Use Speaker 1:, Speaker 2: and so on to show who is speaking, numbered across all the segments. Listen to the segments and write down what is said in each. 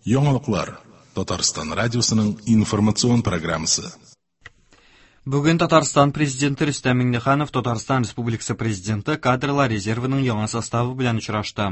Speaker 1: Яңалыклар Татарстан радиосының информацион программасы.
Speaker 2: Бүген Татарстан Президенты Рөстәм Миңнеханов Татарстан Республикасы Президенты кадрлар резервының яңа составы белән очрашты.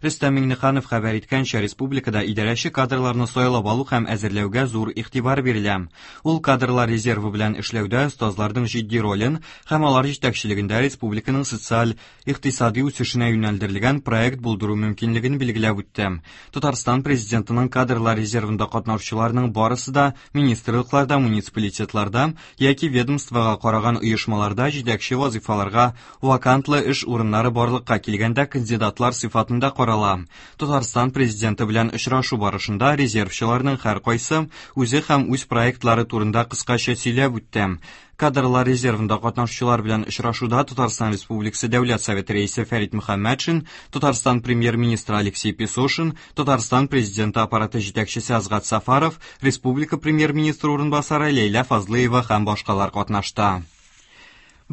Speaker 2: Рөстәм Миңнеханов хәбәр иткәнчә, республикада идарәче кадрларны сайлап алу һәм әзерләүгә зур игътибар бирелә. Ул кадрлар резервы белән эшләүдә остазларның җитди ролен һәм алар җитәкчелегендә республиканың социаль икътисади үсешенә юнәлдерелгән проект булдыру мөмкинлеген билгеләп үтте. Татарстан Президентының кадрлар резервында катнашучыларның барысы да министрлыкларда, муниципалитетларда яки ведомствога караган оешмаларда җитәкче вазыйфаларга вакантлы эш урыннары барлыкка килгәндә кандидатлар сыйфатында карала. Татарстан Президенты белән очрашу барышында резервчыларның һәркайсы үзе һәм үз проектлары турында кыскача сөйләп үтте. Кадрлар резервында катнашучылар белән очрашуда Татарстан Республикасы Дәүләт Советы Рәисе Фәрит Мөхәммәтшин, Татарстан Премьер-министры Алексей Песошин, Татарстан Президенты аппараты җитәкчесе Азгат Сафаров, республика Премьер-министры урынбасары Ләйлә Фазлыева һәм башкалар катнашты.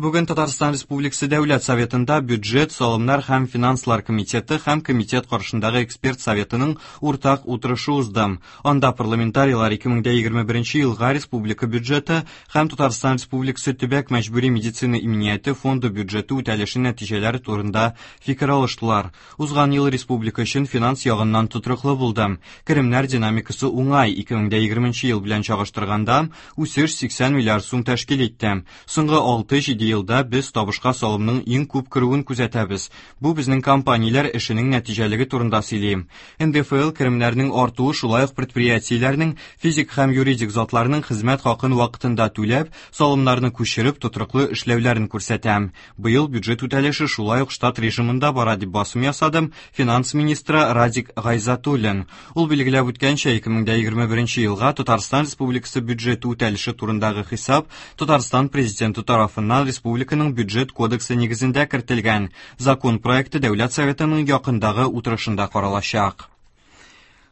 Speaker 2: Бүген Татарстан Республикасы Дәүләт Советында Бюджет, салымнар һәм финанслар комитеты һәм комитет каршындагы эксперт советының уртак утырышы узды. Анда парламентарийлар 2021 елга республика бюджеты һәм Татарстан Республикасы төбәк мәҗбүри медицина иминияте фонды бюджеты үтәлеше нәтиҗәләре турында фикер алыштылар. Узган ел республика өчен финанс ягыннан тотрыклы булды. Керемнәр динамикасы уңай, 2020 ел белән чагыштырганда үсеш 80 миллиард сум тәшкил итте. Соңгы 6-7 елда без табышка салымның иң күп керүен күзәтәбез. Бу безнең компанияләр эшенең нәтиҗәлеге турында сөйли. НДФЛ керемнәренең артуы шулай ук предприятиеләрнең, физик һәм юридик затларның хезмәт хакын вакытында түләп, салымнарны күчереп, тотрыклы эшләүләрен күрсәтә. Быел бюджет үтәлеше шулай ук штат режимында бара, дип басым ясады финанс министры Радик Гайзатуллин. Ул билгеләп үткәнчә, 2021 елга Татарстан Республикасы бюджеты үтәлеше турындагы хисап Татарстан Президенты тарафыннан республиканың бюджет кодексы нигезендә кертелгән. Закон проекты Дәүләт Советының якындагы утырышында каралачак.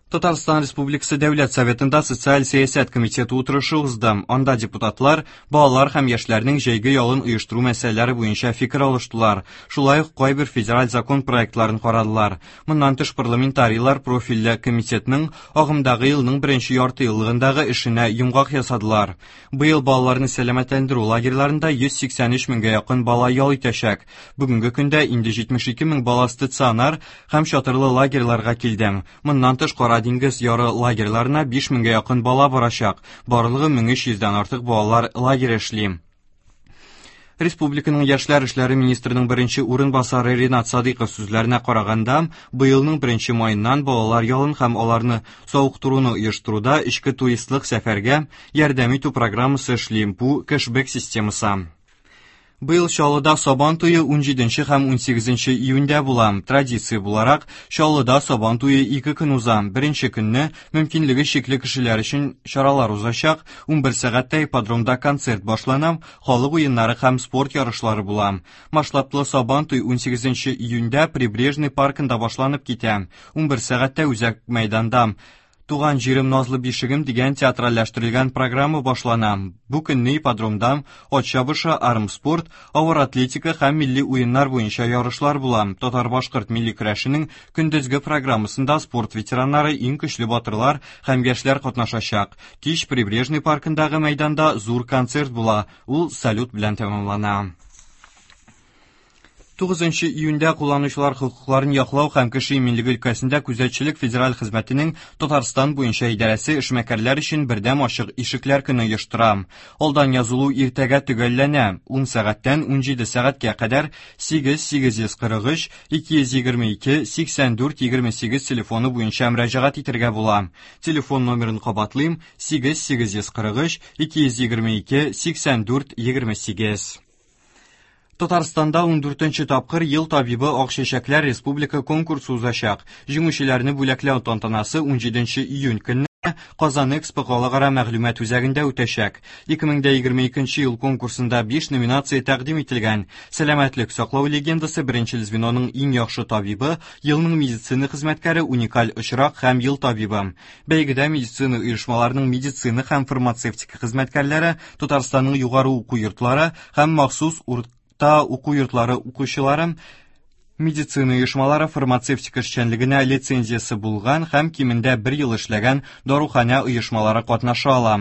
Speaker 2: Татарстан Республикасы Дәүләт Советында Социаль сәясәт комитеты утырышы узды. Анда депутатлар балалар һәм яшьләрнең җәйге ялын оештыру мәсьәләләре буенча фикер алыштылар. Шулай ук кайбер федераль закон проектларын карадылар. Моннан тыш парламентарийлар профильле комитетның агымдагы елның беренче ярты еллыгындагы эшенә йомгак ясадылар. Быел балаларны сәламәтләндерү лагерьларында 183 меңгә якын бала ял итәчәк. Бүгенге көндә инде 72 мең бала стационар һәм чатырлы лагерьларга килде. Моннан тыш Кара диңгез яры лагерьларына 5 меңгә якын бала барачак. Барлыгы 1300дән артык балалар лагере эшли. Республиканың яшьләр эшләре министрының беренче урынбасары Ринат Садыйков сүзләренә караганда, быелның беренче маеннан балалар ялын һәм аларны савыктыруны оештыруда эчке туристлык сәфәргә ярдәм итү программасы эшли. Бу кэшбэк системасы. Быел Чаллыда Сабан туе 17 һәм 18 июньдә була. Традиция буларак, Чаллыда Сабан туе ике көн уза. Беренче көнне мөмкинлеге чикле кешеләр өчен чаралар узачак. 11 сәгатьтә ипподромда концерт башлана, халык уеннары һәм спорт ярышлары була. Масштаблы Сабан туй 18 июньдә Прибрежный паркында башланып китә. 11 сәгатьтә үзәк мәйданда Туган җирем назлы бишегем дигән театральләштерелгән программа башлана. Бу көнне ипподромда ат чабышы, армспорт, авыр атлетика һәм милли уеннар буенча ярышлар була. Татар-башкорт милли көрәшенең көндезге программасында спорт ветераннары, иң көчле батырлар һәм яшьләр катнашачак. Кич Прибрежный паркындагы мәйданда зур концерт була. Ул салют белән тәмамлана. 9 июньдә кулланучылар хокукларын яклау һәм кеше иминлеге өлкәсендә күзәтчелек федераль хезмәтенең Татарстан буенча идарәсе эшмәкәрләр өчен бердәм ачык ишекләр көне оештыра. Алдан язылу иртәгә төгәлләнә. 10 сәгатьтән 17 сәгатькә кадәр 8 843 222 84 28 телефоны буенча мөрәҗәгать итәргә була. Телефон номерын кабатлыйм: 8 843 222 84 28. Татарстанда 14нче тапкыр Ел табибы Ак чәчәкләр республика конкурсы узачак. Җиңүчеләрне бүләкләү тантанасы 17 июнь көнне Казан Экспо халыкара мәгълүмат үзәгендә үтәчәк. 2022 ел конкурсында 5 номинация тәкъдим ителгән. Сәламәтлек саклау легендасы, беренчел звеноның иң яхшы табибы, елның медицина хезмәткәре, уникаль очрак һәм ел табибы. Бәйгедә медицина оешмаларының медицина һәм фармацевтика хезмәткәрләре, Татарстанның югары уку йортлары һәм махсус урта уку йортлары укучылары Медицина оешмалары фармацевтика эшчәнлегенә лицензиясе булган һәм кимендә бер ел эшләгән даруханә оешмалары катнаша ала.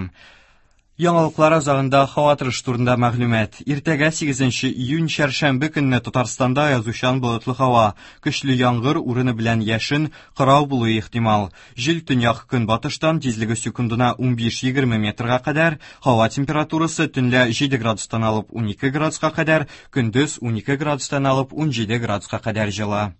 Speaker 2: Яңалыклар азагында һава торышы турында мәгълүмат. Иртәгә 8 июнь чәршәмбе көнне Татарстанда язучан болытлы һава, көчле яңгыр урыны белән яшен, кырау булуы ихтимал. Җил төньяк көнбатыштан тизлеге секундына 15-20 метрга кадәр, һава температурасы төнлә 7 градустан алып 12 градуска кадәр, көндез 12 градустан алып 17 градуска кадәр җылы.